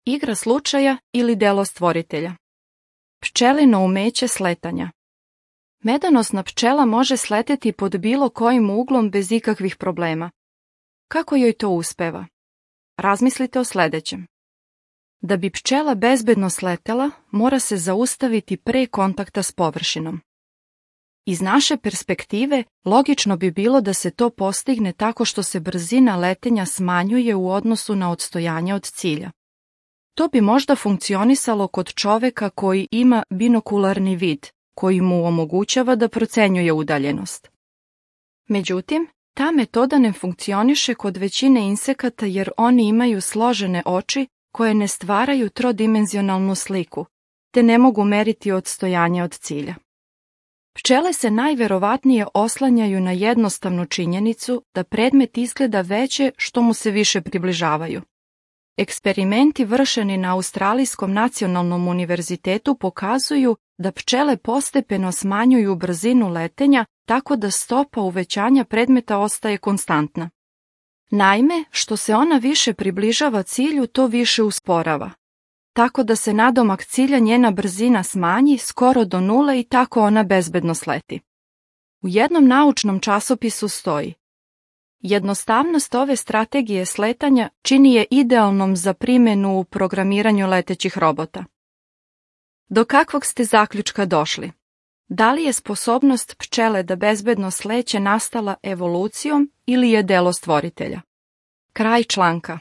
igra slučaja ili delo stvoritelja. Pčelino umeće sletanja. Medonosna pčela može sleteti pod bilo kojim uglom bez ikakvih problema. Kako joj to uspeva? Razmislite o sledećem. Da bi pčela bezbedno sletela, mora se zaustaviti pre kontakta s površinom. Iz naše perspektive, logično bi bilo da se to postigne tako što se brzina letenja smanjuje u odnosu na odstojanje od cilja. To bi možda funkcionisalo kod čoveka koji ima binokularni vid, koji mu omogućava da procenjuje udaljenost. Međutim, ta metoda ne funkcioniše kod većine insekata jer oni imaju složene oči koje ne stvaraju trodimenzionalnu sliku, te ne mogu meriti odstojanje od cilja. Pčele se najverovatnije oslanjaju na jednostavnu činjenicu da predmet izgleda veće što mu se više približavaju. Eksperimenti vršeni na Australijskom nacionalnom univerzitetu pokazuju da pčele postepeno smanjuju brzinu letenja tako da stopa uvećanja predmeta ostaje konstantna. Naime, što se ona više približava cilju, to više usporava. Tako da se nadomak cilja njena brzina smanji skoro do nule i tako ona bezbedno sleti. U jednom naučnom časopisu stoji: jednostavnost ove strategije sletanja čini je idealnom za primjenu u programiranju letećih robota. Do kakvog ste zaključka došli? Da li je sposobnost pčele da bezbedno sleće nastala evolucijom ili je delo stvoritelja? Kraj članka.